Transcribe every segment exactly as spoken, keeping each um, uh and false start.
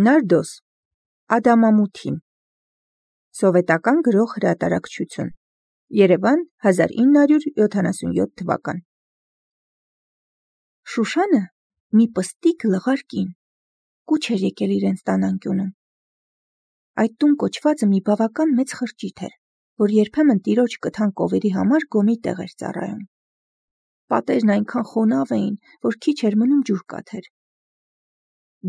Նարդոս, Ադամամութին, Սովետական գրող հրատարակչություն, Երևան հազար ինը հարյուր յոթանասունյոթ թվական։ Շուշանը մի պստիկ լղար կին, կուչ էր եկել իրենց տան անկյունում։ Այդ տուն կոչվածը մի բավական մեծ խրճիթ էր, որ երբեմն տիրոջ կթան կովերի համար գոմի տեղ էր ծառայում։ Պատերն այնքան խոնավ էին, որ քիչ էր մնում ջուր կաթեր։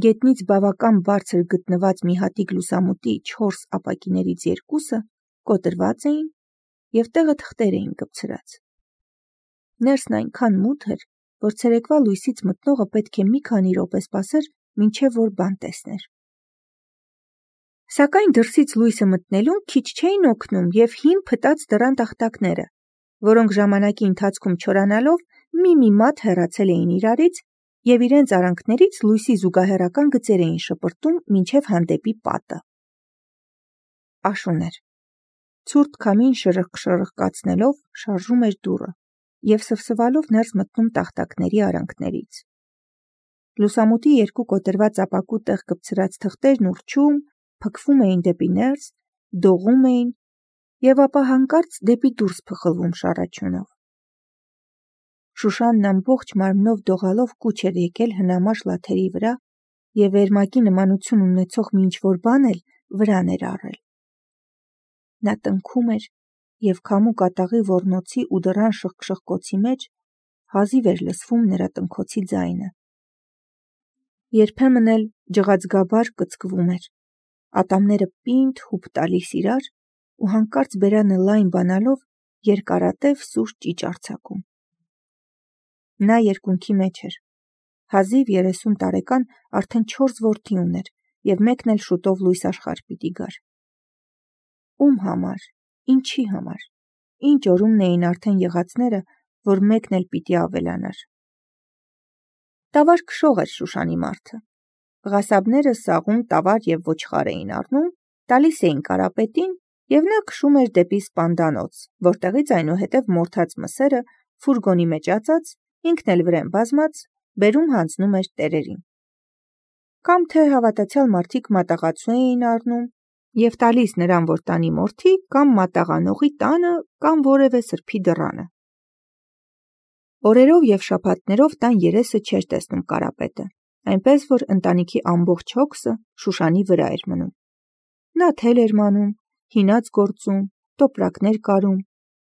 Գետնից բավական բարձր գտնված մի հատիկ լուսամուտի չորս ապակիներից երկուսը կոտրված էին և տեղը թղթեր էին կպցրած։ Ներսն այնքան մութ էր, որ ցերեկվա լույսից մտնողը պետք է մի քանի րոպե սպասեր, մինչև որ բան տեսներ։ Սակայն դրսից լույսը մտնելուն քիչ չէին օգնում և հին փտած դռան տախտակները, որոնք ժամանակի ընթացքում չորանալով մի-մի մատ հեռացել էին իրարից և իրենց արանքներից լույսի զուգահեռական գծեր էին շպրտում մինչև հանդեպի պատը։ Աշուն էր։ Ցուրտ քամին շրխկ-շրխկացնելով շարժում էր դուռը և սվսվալով ներս մտնում տախտակների արանքներից։ Լուսամուտի երկու կոտրված ապակու տեղ կպցրած թղթերն ուռչում, փքվում էին դեպի ներս, դողում էին և ապա հանկարծ դեպի դուրս փխլվում շառաչյունով։ Շուշանն ամբողջ մարմնով դողալով կուչ էր եկել հնամաշ լաթերի վրա և վերմակի նմանություն ունեցող մի ինչ-որ բան էլ վրան էր առել։ Նա տնքում էր և քամու կատաղի ոռնոցի ու դռան շխկշխկոցի մեջ հազիվ էր լսվում նրա տնքոցի ձայնը։ Երբեմն էլ ջղածգաբար կծկվում էր, ատամները պինդ հուպ տալիս իրար ու հանկարծ բերանը լայն բանալով երկարատև սուր ճիճ արձակում։ Նա երկունքի մեջ էր, հազիվ երեսուն տարեկան արդեն չորս որդի ուներ և մեկն էլ շուտով լույս աշխարհ պիտի գար։ Ում համար, ինչի համար, ինչ օրումն էին արդեն եղածները, որ մեկն էլ պիտի ավելանար։ Տավար քշող էր Շուշանի մարդը։ Ղասաբները սաղում տավար և ոչխար էին առնում, տալիս էին Կարապետին և նա քշում էր դեպի Սպանդանոց, որտեղից այնուհետև մորթած մսերը ֆուրգոնի մեջ ածած, ինքն էլ վրեն բազմած, բերում հանձնում էր տերերին։ Կամ թե հավատացյալ մարդիկ մատաղացու էին առնում և տալիս նրան, որ տանի մորթի, կամ մատաղանողի տանը, կամ որևէ սրբի դռանը։ Օրերով և շաբաթներով տան երեսը չէր տեսնում Կարապետը, այնպես որ ընտանիքի ամբողջ հոգսը Շուշանի վրա էր մնում։ Նա թել էր մանում, հինած գործում, տոպրակներ կարում,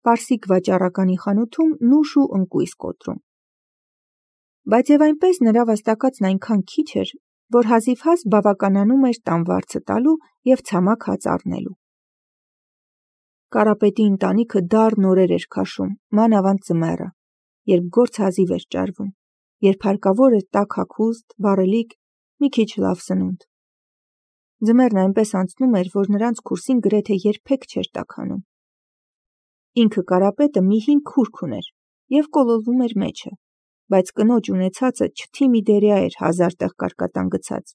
պարսիկ վաճառականի խանութում նուշ ու ընկույզ կոտրում։ Բայց և այնպես նրա վաստակածն այնքան քիչ էր, որ հազիվհազ բավականանում էր տան վարձը տալու և ցամաք հաց առնելու։ Կարապետի ընտանիքը դառն օրեր էր քաշում, մանավանդ ձմեռը, երբ գործ հազիվ էր ճարվում, երբ հարկավոր էր տաք հագուստ, վառելիք, մի քիչ լավ սնունդ։ Ձմեռն այնպես անցնում էր, որ նրանց քուրսին գրեթե երբեք չէր տաքանում։ Ինքը Կարապետը մի հին քուրք ուներ և կոլորվում էր մեջը, բայց կնոջ ունեցածը չթիմի դերյա էր հազար տեղ կարկատան գցած,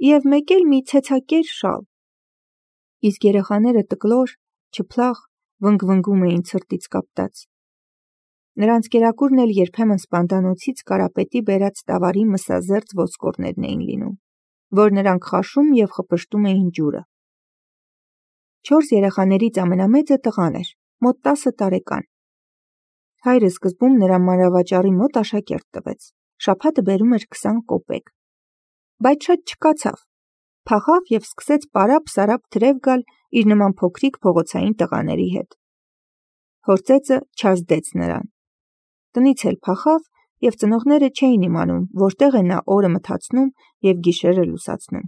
և մեկ էլ մի ցեցակեր շալ։ Իսկ երեխաները տկլոր, չփլախ, վնգվնգում էին ցրտից կապտած։ Նրանց կերակուրն էլ երբեմն Սպանդանոցից Կարապետի բերած տավարի մսազերծ ոսկորներն էին լինում, որ նրանք խաշում և խպշտում էին ջուրը։ Չորս երեխաներից ամենամեծը տղան էր, մոտ տասը տարեկան։ Հայրը սկզբում նրան մանրավաճառի մոտ աշակերտ տվեց, շաբաթը բերում էր քսան կոպեկ։ Բայց շատ չկացավ, փախավ և սկսեց պարապ-սարապ թրև գալ իր նման փոքրիկ փողոցային տղաների հետ։ Հոր ծեծը չազդեց նրան։ Տնից էլ փախավ և ծնողները չէին իմանում, որտեղ է նա օրը մթացնում և գիշերը լուսացնում։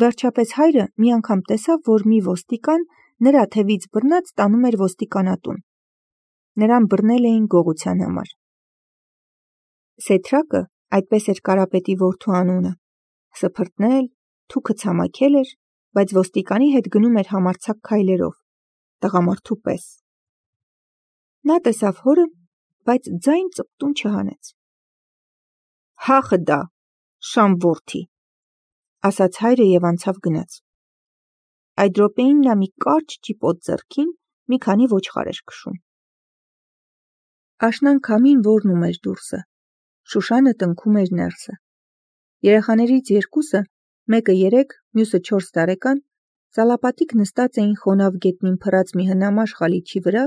Վերջապես հայրը մի անգամ տեսավ, որ մի ոստիկան նրա թևից բռնած տանում էր ոստիկանատուն։ Նրան բռնել էին գողության համար։ Սեթրակը, այդպես էր Կարապետի որդու անունը, սփռտնել, թուքը ցամաքել էր, բայց ոստիկանի հետ գնում էր համարձակ քայլերով, տղամարդու պես։ Նա տեսավ հորը, բայց ձայն ծպտուն չհանեց։ Հա խդա, շամ որդի, ասաց հայրը և անցավ գնաց։ Այդ րոպեին նա մի կարճ ճիպոտ ձեռքին մի քանի ոչխար էր քշում։ Աշնան քամին ոռնում էր դուրսը, Շուշանը տնքում էր ներսը։ Երեխաներից երկուսը մեկը երեք, մյուսը չորս տարեկան, ծալապատիկ նստած էին խոնավ գետնին փռած մի հնամաշ խալիչի վրա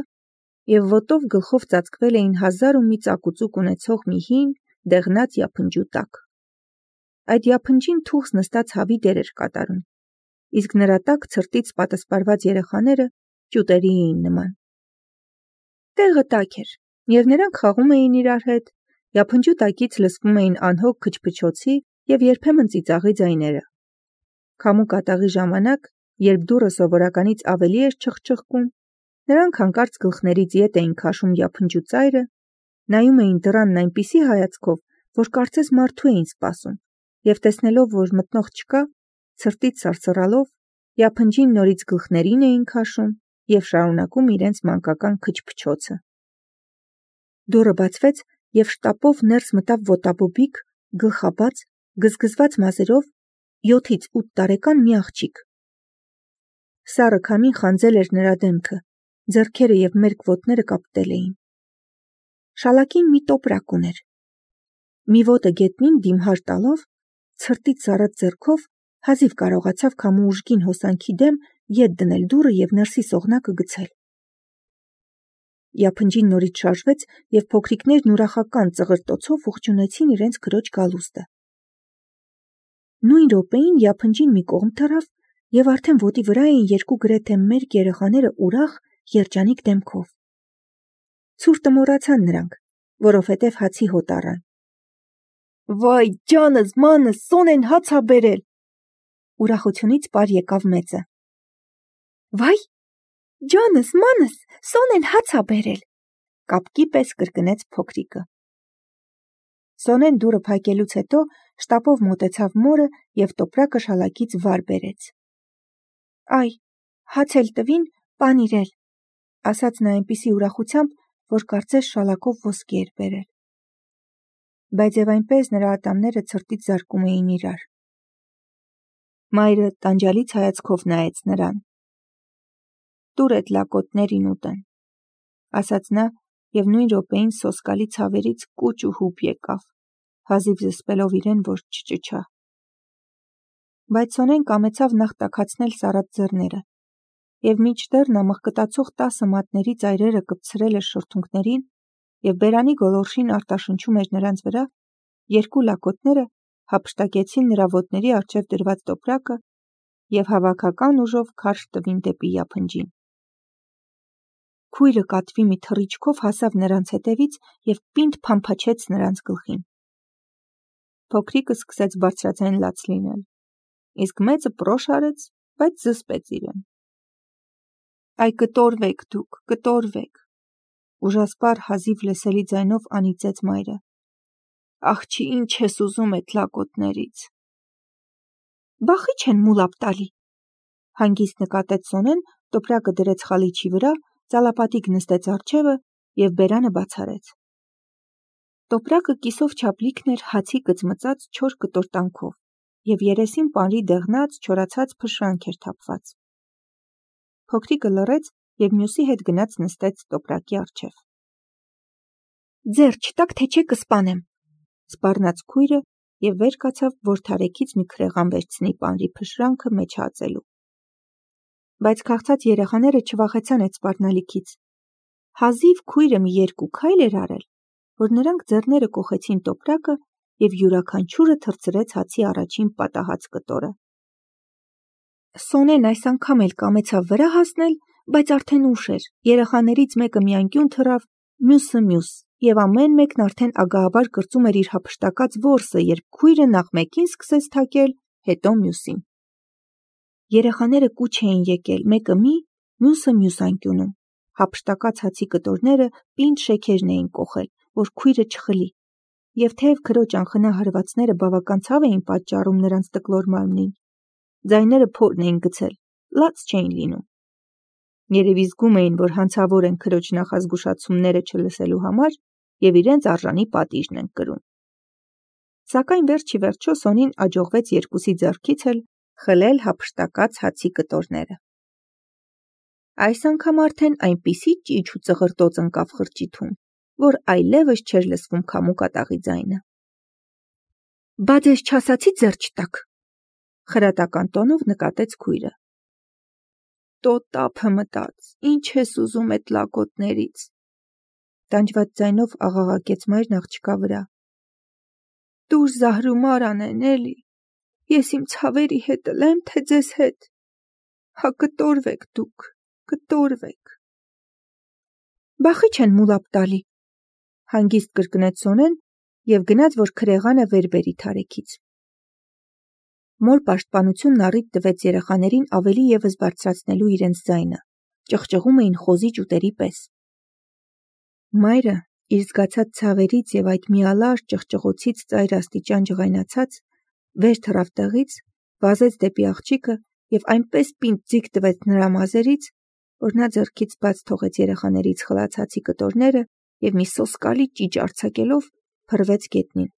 և ոտով գլխով ծածկվել էին հազար ու մի ծակուծուկ ունեցող մի հին, դեղնած յափնջու տակ։ Այդ յափնջին թուխս նստած հավի դեր էր կատարում, իսկ նրա տակ ցրտից պատասպարված երեխաները ճյուտերի էին նման։ Տեղը տաք էր, և նրանք խաղում էին իրար հետ, յափնջու տակից լսվում էին անհոգ քչփչոցի և երբեմն ծիծաղի ձայները։ Քամու կատաղի ժամանակ, երբ դուռը սովորականից ավելի էր չխչխկում, նրանք հանկարծ գլխներից ետ էին քաշում յափնջու ծայրը, նայում էին դռանն այնպիսի հայացքով, որ կարծես մարդու էին սպասում, և տեսնելով, որ մտնող չկա, ցրտից սարսռալով, յափնջին նորից գլխներին էին քաշում և շարունակում իրենց մանկական քչփչոցը։ Դուռը բացվեց, և շտապով ներս մտավ ոտաբոբիկ, գլխաբաց, գզգզված մազերով, յոթից ութ տարեկան մի աղջիկ։ Սառը քամին խանձել էր նրա դեմքը, ձեռքերը և մերկ ոտները կապտել էին։ Շալակին մի տոպրակ ուներ։ Մի ոտը գետնին դիմհար տալով, ցրտից զառած ձեռքով հազիվ կարողացավ քամու ուժգին հոսանքի դեմ ետ դնել դուռը և ներսի սողնակը գցել։ Յափնջին նորից շարժվեց, և փոքրիկներն ուրախական ծղրտոցով ողջունեցին իրենց քրոջ գալուստը։ Նույն րոպեին յափնջին մի կողմ թռավ, և արդեն ոտի վրա էին երկու գրեթե մերկ երեխաները ուրախ, երջանիկ դեմքով։ Ցուրտը մոռացան նրանք, որովհետև հացի հոտ առան։ Վայ, ջանս, մանս, Սոնեն հաց ա բերել։ Ուրախությունից պար եկավ մեծը։ Վայ, ջանս, մանս, Սոնեն հաց ա բերել, կապկի պես կրկնեց փոքրիկը։ Սոնեն դուռը փակելուց հետո շտապով մոտեցավ մորը և տոպրակը շալակից վար բերեց։ Այ, հաց էլ տվին, պանիր էլ, ասաց նա այնպիսի ուրախությամբ, որ կարծես շալակով ոսկի էր բերել։ Բայց և այնպես նրա ատամները ցրտից զարկում էին իրար։ Մայրը տանջալից հայացքով նայեց նրան։ Տուր էդ լակոտներին ուտեն, ասաց նա և նույն րոպեին սոսկալի ցավերից կուչ ու հուպ եկավ, հազիվ զսպելով իրեն, որ չճչա։ Բայց Սոնեն կամեցավ նախ տաքացնել սառած ձեռները, և մինչդեռ նա մղկտացող տասը մատների ծայրերը կպցրել էր շրթունքներին և բերանի գոլորշին արտաշնչում էր նրանց վրա, երկու լակոտները հափշտակեցին նրա ոտների առջև դրված տոպրակը և հավաքական ուժով քարշ տվին դեպի յափնջին։ Քույրը կատվի մի թռիչքով հասավ նրանց հետևից և պինդ փամփաչեց նրանց գլխին։ Փոքրիկը սկսեց բարձրաձայն լաց լինել, իսկ մեծը պրոշ արեց, բայց զսպեց իրեն։ Այ կտորվեք դուք, կտորվեք, ուժասպառ հազիվ լսելի ձայնով անիծեց մայրը։ Աղջի, ինչ ես ուզում էդ լակոտներից։ Բախի չեն մուլապ տալի, հանգիստ նկատեց Սոնեն, տոպրակը դրեց խալիչի վրա, ծալապատիկ նստեց առջևը և բերանը բաց արեց։ Տոպրակը կիսով չափ լիքն էր հացի կծմծած չոր կտորտանքով, և երեսին պանրի դեղնած, չորացած փշրանք էր թափված։ Փոքրիկը լռեց և մյուսի հետ գնաց նստեց տոպրակի առջև։ Ձեռ չտաք, թե չէ կսպանեմ, սպառնաց քույրը և վեր կացավ, որ թարեքից մի քրեղան վերցնի պանրի փշրանքը մեջ հածելու։ Բայց քաղցած երեխաները չվախեցան այդ սպառնալիքից։ Հազիվ քույրը մի երկու քայլ էր արել, որ նրանք ձեռները կոխեցին տոպրակը և յուրաքանչյուրը թռցրեց հացի առաջին պատահած կտորը։ Սոնեն այս անգամ էլ կամեցավ վրա հասնել, բայց արդեն ուշ էր, երեխաներից մեկը մի անկյուն թռավ, մյուսը մյուս, և ամեն մեկն արդեն ագահաբար կրծում էր իր հափշտակած որսը, երբ քույրը նախ մեկին սկսեց թակել, հետո մյուսին։ Երեխաները կուչ էին եկել, մեկը մի, մյուսը մյուս անկյունում։ Հափշտակած հացի կտորները պինդ շեքերն էին կոխել, որ քույրը չխլի, և թեև քրոջ անխնա հարվածները բավական ցավ էին պատճառում նրանց տկլոր մարմնին, ձայները փորն էին գցել, լաց չէին լինում։ Երևի զգում էին, որ հանցավոր են քրոջ նախազգուշացումները չլսելու համար և իրենց արժանի պատիժն են կրում։ Սակայն վերջ ի վերջո Սոնին աջողվեց երկուսի ձեռքից էլ խլել հափշտակած հացի կտորները։ Այս անգամ արդեն այնպիսի ճիչ ու ծղրտոց ընկավ խրճիթում, որ այլևս չէր լսվում քամու կատաղի ձայնը։ Բա ձեզ չասացի ձեռ չտաք, խրատական տոնով նկատեց քույրը։ Տո տափը մտած, ինչ ես ուզում էդ լակոտներից, տանջված ձայնով աղաղակեց մայրն աղջկա վրա։ Դուր Զահրումար անեն էլի, ես իմ ցավերի հետ ըլեմ, թե ձեզ հետ, հա կտորվեք դուք, կտորվեք։ Բախի չեն մուլապ տալի, հանգիստ կրկնեց Սոնեն և գնաց, որ քրեղանը վեր բերի թարեքից։ Մոր պաշտպանությունն առիթ տվեց երեխաներին ավելի ևս բարձրացնելու իրենց ձայնը, ճղճղում էին խոզի ճուտերի պես։ Մայրը, իր զգացած ցավերից և այդ միալար ճղճղոցից ծայր աստիճան ջղայնացած, վեր թռավ տեղից, վազեց դեպի աղջիկը և այնպես պինդ ձիգ տվեց նրա մազերից, որ նա ձեռքից բաց թողեց երեխաներից խլած հացի կտորները և մի սոսկալի ճիճ արձակելով փռվեց գետնին։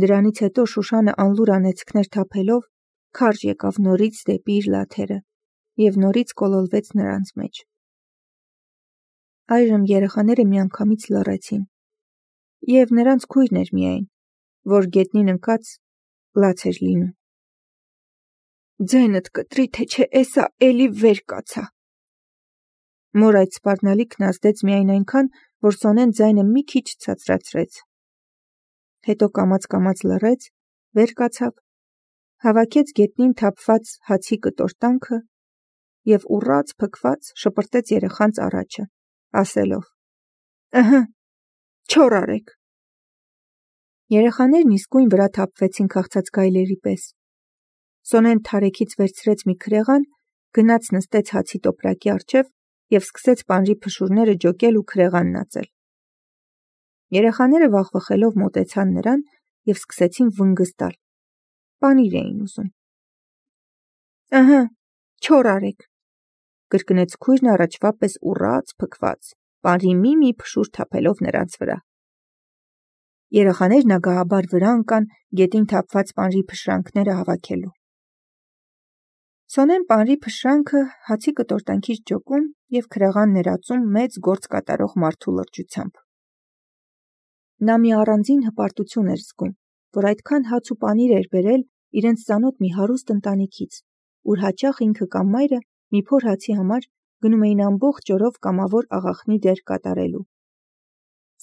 Դրանից հետո Շուշանը անլուր անեծքներ թափելով քարշ եկավ նորից դեպի իր լաթերը և նորից կոլոլվեց նրանց մեջ։ Այժմ երեխաները միանգամից լռեցին, և նրանց քույրն էր միայն, որ գետնին ընկած լաց էր լինում։ Ձենդ կտրի, թե չէ էսա էլի վեր կացա։ Մոր այդ սպառնալիքն ազդեց միայն այնքան, որ Սոնեն ձայնը մի քիչ ցածրացրեց։ Հետո կամաց-կամաց լռեց, վեր կացավ, հավաքեց գետնին թափված հացի կտոր-տանքը և ուռած փքված շպրտեց երեխանց առաջը, ասելով. Ըհը, չոր արեք։ Երեխաներն իսկույն վրա թափվեցին քաղցած գայլերի պես։ Սոնեն թարեքից վերցրեց մի քրեղան, գնաց նստեց հացի տոպրակի առջև և սկսեց պանրի փշուրները ջոկել ու քրեղանն ածել։ Երեխաները վախվխելով մոտեցան նրան և սկսեցին վնգստալ։ Պանիր էին ուզում։ Ըհը, չոր արեք, կրկնեց քույրն առաջվա պես ուռած, փքված, պանրի մի-մի փշուր թափելով նրանց վրա։ Երեխաներն ագահաբար վրա ընկան գետին թափված պանրի փշրանքները հավաքելու։ Սոնեն պանրի փշրանքը հացի կտոր-տանքից ջոկում և քրեղան ներածում մեծ գործ կատարող մարդու լրջությամբ։ Նա մի առանձին հպարտություն էր զգում, որ այդքան հաց ու պանիր էր բերել իրենց ծանոթ մի հարուստ ընտանիքից, ուր հաճախ ինքը կամ մայրը մի փոր հացի համար գնում էին ամբողջ օրով կամավոր աղախնի դեր կատարելու։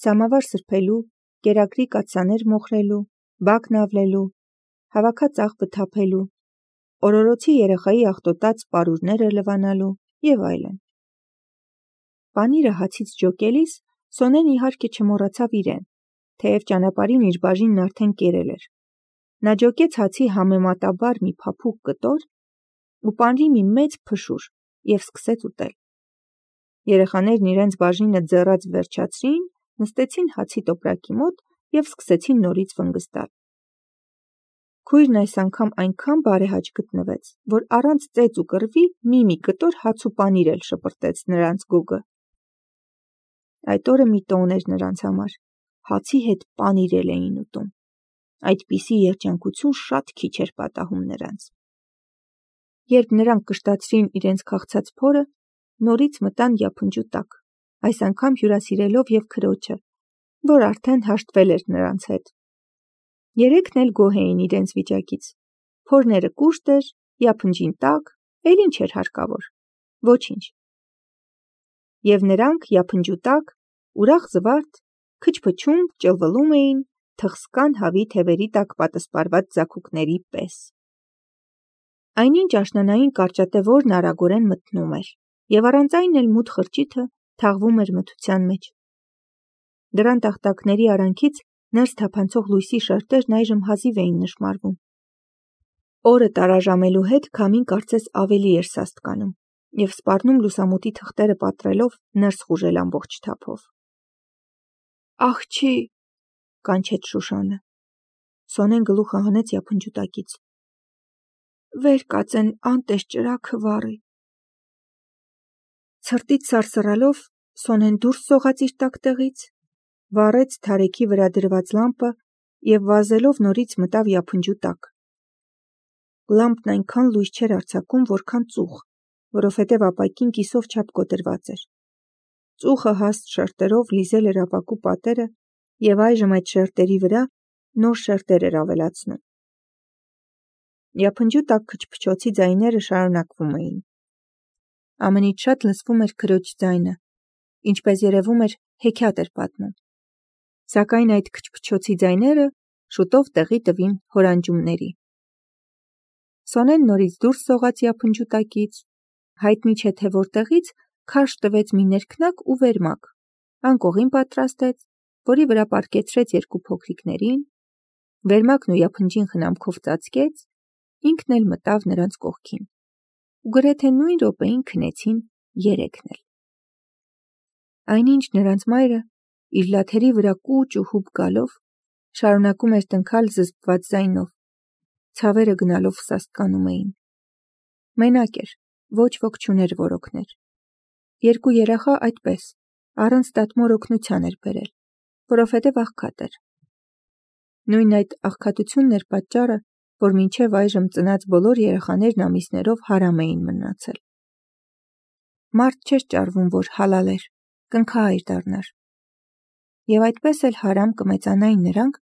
Սամավար սրբելու, կերակրի կաթսաներ մոխրելու, բակն ավլելու, հավաքած աղբը թափելու, օրորոցի երեխայի աղտոտած պարուրները լվանալու և այլն։ Պանիրը հացից ջոկելիս Սոնեն իհարկե չմոռացավ իրեն, թեև ճանապարհին իր բաժինն արդեն կերել էր։ Նա ջոկեց հացի համեմատաբար մի փափուկ կտոր ու պանրի մի մեծ փշուր և սկսեց ուտել։ Երեխաներն իրենց բաժինը ձեռած վերջացրին, նստեցին հացի տոպրակի մոտ և սկսեցին նորից վնգստալ։ Քույրն այս անգամ այնքան բարեհաճ գտնվեց, որ առանց ծեծ ու կռվի մի-մի կտոր հաց ու պանիր էլ շպրտեց նրանց գուգը։ Այդ օրը մի տոն էր նրանց համար, հացի հետ պանիր էլ էին ուտում։ Այդպիսի երջանկություն շատ քիչ էր պատահում նրանց։ Երբ նրանք կշտացրին իրենց քաղցած փորը, նորից մտան յափնջու տակ, այս անգամ հյուրասիրելով և քրոջը, որ արդեն հաշտվել էր նրանց հետ։ Երեքն էլ գոհ էին իրենց վիճակից։ Փորները կուշտ էր, յափնջին տաք, էլ ինչ էր հարկավոր, ոչինչ։ Եվ նրանք յափնջու տակ, ուրախ զվարթ, քչփչում, ճլվլում էին թխսկան հավի թևերի տակ պատսպարված ձագուկների պես։ Այնինչ աշնանային կարճատև օրն արագորեն մթնում էր, և առանց այն էլ մութ խրճիթը թաղվում էր մթության մեջ։ Դռան տախտակների արանքից ներս թափանցող լույսի շերտերն այժմ հազիվ էին նշմարվում։ Օրը տարաժամելու հետ քամին կարծես ավելի էր սաստկանում և սպառնում լուսամուտի թղթերը պատռելով ներս խուժել ամբողջ թափով։ Աղջի, կանչեց Շուշանը։ Սոնեն գլուխը հանեց յափնջու տակից։ Վեր կացեն անտես ճրագը վառի։ Ցրտից սարսռալով Սոնեն դուրս սողաց իր տակտեղից, վառեց թարեքի վրա դրված լամպը և վազելով նորից մտավ յափնջու տակ։ Լամպն այնքան լույս չէր արձակում, որքան ծուխ, որովհետև ապակին կիսով չափ կոտրված էր։ Ծուխը հաստ շերտերով լիզել էր ապակու պատերը և այժմ այդ շերտերի վրա նոր շերտեր էր ավելացնում։ Յափնջու տակ քչփչոցի ձայները շարունակվում էին։ Ամենից շատ լսվում էր քրոջ ձայնը, ինչպես երևում էր հեքիաթ էր պատմում։ Սակայն այդ քչփչոցի ձայները շուտով տեղի տվին հորանջումների։ Սոնեն նորից դուրս սողաց յափնջու տակից, հայտնի չէ թե որտեղից քարշ տվեց մի ներքնակ ու վերմակ, անկողին պատրաստեց, որի վրա պառկեցրեց երկու փոքրիկներին, վերմակն ու յափնջին խնամքով ծածկեց, ինքն էլ մտավ նրանց կողքին, ու գրեթե նույն րոպեին քնեցին երեքն էլ։ Այնինչ նրանց մայրը, իր լաթերի վրա կուչ ու հուպ գալով, շարունակում էր տնքալ զսպված ձայնով, ցավերը գնալով սաստկանում էին։ Մենակ էր, ոչ ոք չուներ, որ օգներ։ Երկու երեխա այդպես, առանց տատմոր օգնության էր բերել, որովհետև աղքատ էր։ Նույն այդ աղքատությունն էր պատճառը, որ մինչև այժմ ծնած բոլոր երեխաներն ամիսներով հարամ էին մնացել։ Մարդ չէր ճարվում, որ հալալ էր, կնքահայր դառնար։ Եվ այդպես էլ հարամ կմեծանային նրանք,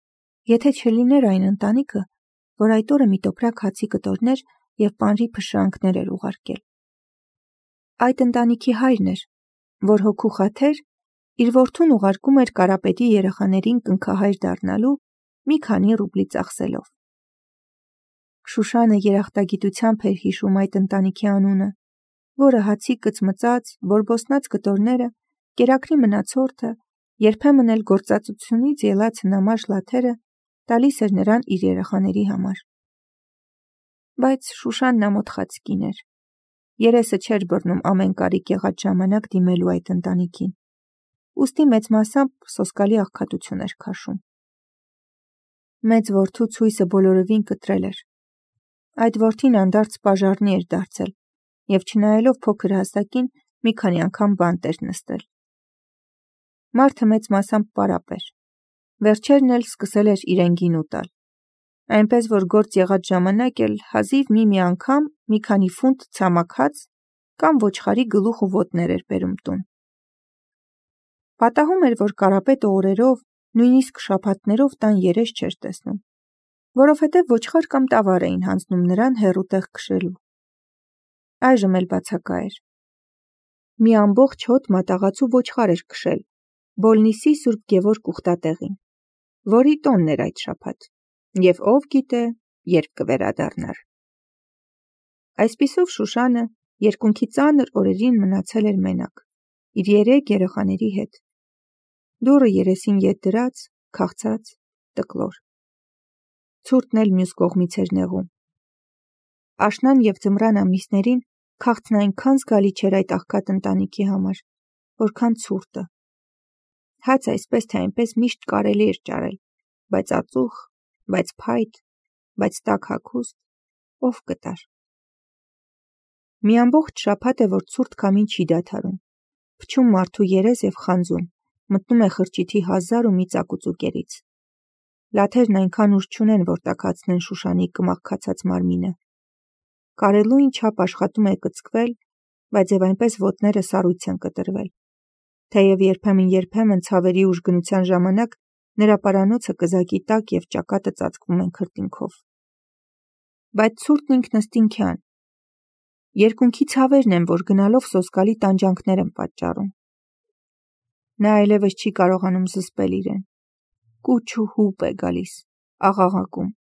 եթե չլիներ այն ընտանիքը, որ այդ օրը մի տոպրակ հացի կտորներ և պանրի փշրանքներ էր ուղարկել։ Այդ ընտանիքի հայրն էր, որ հոգու խաթեր իր որդուն ուղարկում էր Կարապետի երեխաներին կնքահայր դառնալու մի քանի ռուբլի ծախսելով։ Շուշանը երախտագիտությամբ էր հիշում այդ ընտանիքի անունը, որը հացի կծմծած, բորբոսնած կտորները, կերակրի մնացորդը, երբեմն էլ գործածությունից ելած հնամաշ լաթերը տալիս էր նրան իր երեխաների համար։ Բայց Շուշանն ամոթխած կին էր։ Երեսը չէր բռնում ամեն կարիք եղած ժամանակ դիմելու այդ ընտանիքին, ուստի մեծ մասամբ սոսկալի աղքատություն էր քաշում։ Մեծ որդու ցույսը բոլորովին կտրել էր։ Այդ որդին անդարձ պաժառնի էր դարձել և չնայելով փոքր հասակին մի քանի անգամ բանտ էր նստել։ Մարդը մեծ մասամբ պարապ էր։ Վերջերն էլ սկսել էր իրեն գինու տալ, այնպես որ գործ եղած ժամանակ էլ հազիվ մի-մի անգամ մի քանի ֆունտ ցամաք հաց կամ ոչխարի գլուխ ու ոտներ էր բերում տուն։ Պատահում էր, որ Կարապետը օրերով, նույնիսկ շաբաթներով տան երես չէր տեսնում, որովհետև ոչխար կամ տավար էին հանձնում նրան հեռու տեղ քշելու։ Այժմ էլ բացակա էր։ Մի ամբողջ հոտ մատաղացու ոչխար էր քշել Բոլնիսի Սուրբ Գևորգ ուխտատեղին, որի տոնն էր այդ շաբաթ, և ով գիտե, երբ կվերադառնար։ Այսպիսով Շուշանը երկունքի ծանր օրերին մնացել էր մենակ, իր երեք երեխաների հետ, դուռը երեսին ետ դրած, քաղցած, տկլոր։ Ցուրտն էլ մյուս կողմից էր նեղում։ Աշնան և ձմռան ամիսներին քաղցն այնքան զգալի չէր այդ աղքատ ընտանիքի համար, որքան ցուրտը։ Հաց այսպես թե այնպես միշտ կարելի էր ճարել, բայց ածուխ, բայց փայտ, բայց տաք հագուստ, ով կտար։ Մի ամբողջ շաբաթ է, որ ցուրտ քամին չի դադարում, փչում մարդու երես և խանձում, մտնում է խրճիթի հազար ու մի ծակուծուկերից։ Լաթերն այնքան ուժ չունեն, որ տաքացնեն Շուշանի կմախքացած մարմինը։ Կարելույն չափ աշխատում է կծկվել, բայց և այնպես ոտները սառույց են կտրվել, թեև երբեմն-երբեմն ցավերի ուժգնության ժամանակ նրա պարանոցը կզակի տակ և ճակատը ծածկվում են քրտինքով։ Բայց ցուրտն ինքնըստինքյան։ Երկունքի ցավերն են, որ գնալով սոսկալի տանջանքներ են պատճառում։ Նա այլևս չի կարողանում զսպել իրեն։ Կուչ ու հուպ է գալիս, աղաղակում։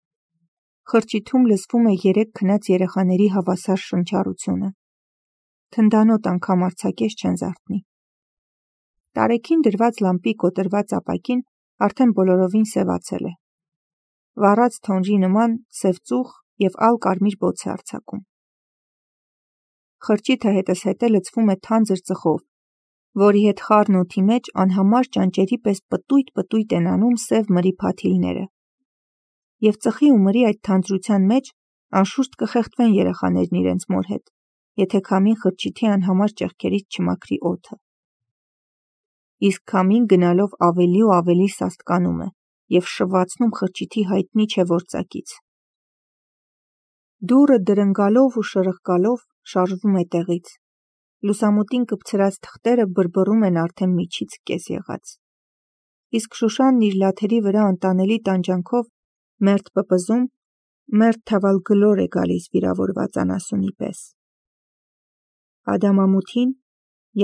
Խրճիթում լսվում է երեք քնած երեխաների հավասար շնչառությունը։ Թնդանոտ անգամ արձակես չեն զարթնի։ Տարեքին դրված լամպի կոտրված ապակին արդեն բոլորովին սևացել է։ Վառած թոնրի նման սև ծուխ և ալ կարմիր բոց է արձակում։ Խրճիթը հետզհետե լցվում է թանձր ծխով, որի հետ խառն օդի մեջ անհամար ճանճերի պես պտույտ-պտույտ են անում սև մրի փաթիլները։ Եվ ծխի ու մրի այդ թանձրության մեջ անշուշտ կխեղդվեն երեխաներն իրենց մոր հետ, եթե քամին խրճիթի անհամար ճեղքերից չմաքրի օդը։ Իսկ քամին գնալով ավելի ու ավելի սաստկանում է և շվացնում խրճիթի հայտնի չէ որ ծակից։ Դուռը դրնգալով ու շրխկալով շարժվում է տեղից։ Լուսամուտին կպցրած թղթերը բրբռում են արդեն միջից կես եղած։ Իսկ Շուշանն իր լաթերի վրա անտանելի տանջանքով մերթ պպզում, Մերթ թավալ գլոր է գալիս վիրավորված անասունի պես։ Ադամամութին,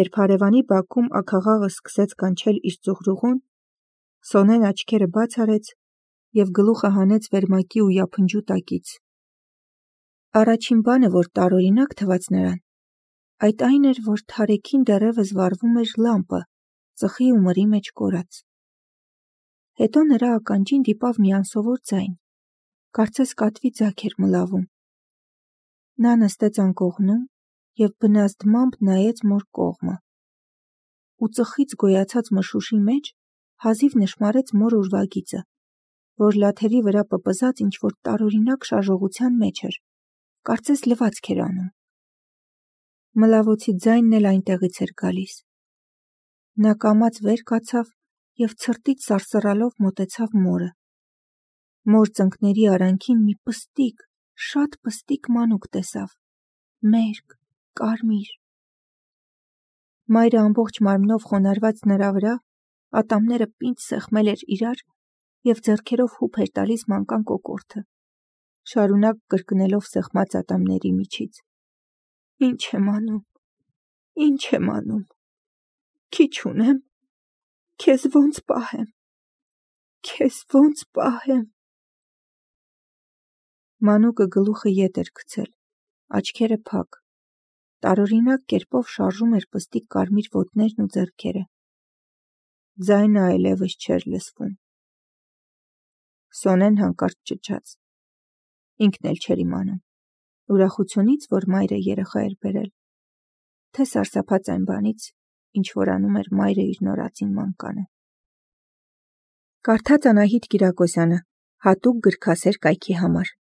երբ հարևանի բակում աքաղաղը սկսեց կանչել իր ծուղրուղուն, Սոնեն աչքերը բաց արեց և գլուխը հանեց վերմակի ու յափնջու տակից։ Առաջին բանը, որ տարօրինակ թվաց նրան, այդ այն էր, որ թարեքին դեռևս վառվում էր լամպը, ծխի ու մրի մեջ կորած։ Հետո նրա ականջին դիպավ մի անսովոր ձայն, կարծես կատվի ձագ էր մլավում։ Նա նստեց անկողնում և բնազդմամբ նայեց մոր կողմը ու ծխից գոյացած մշուշի մեջ հազիվ նշմարեց մոր ուրվագիծը, որ լաթերի վրա պպզած ինչ-որ տարօրինակ շարժողության մեջ էր, կարծես լվացք էր անում։ Մլավոցի ձայնն էլ այնտեղից էր գալիս։ Նա կամաց վեր կացավ և ցրտից սարսռալով մոտեցավ մորը։ Մոր ծնկների արանքին մի պստիկ, շատ պստիկ մանուկ տեսավ, մերկ, կարմիր։ Մայրը ամբողջ մարմնով խոնարհված նրա վրա, ատամները պինդ սեղմել էր իրար և ձեռքերով հուփ էր տալիս մանկան կոկորդը, շարունակ կրկնելով սեղմած ատամների միջից. «Ինչ եմ անում, ինչ եմ անում, քիչ ունեմ, քեզ ոնց պահեմ, քեզ ոնց պահեմ»։ Մանուկը գլուխը ետ էր գցել, աչքերը փակ, տարօրինակ կերպով շարժում էր պստիկ կարմիր ոտներն ու ձեռքերը։ Ձայնը այլևս չէր լսվում։ Սոնեն հանկարծ ճչաց։ Ինքն էլ չէր իմանում, ուրախությունից, որ մայրը երեխա էր բերել, թե սարսափած այն բանից, ինչ որ անում էր մայրը իր նորածին մանկանը։ Կարդաց Անահիտ Կիրակոսյանը, հատուկ գրքասեր կայքի համար։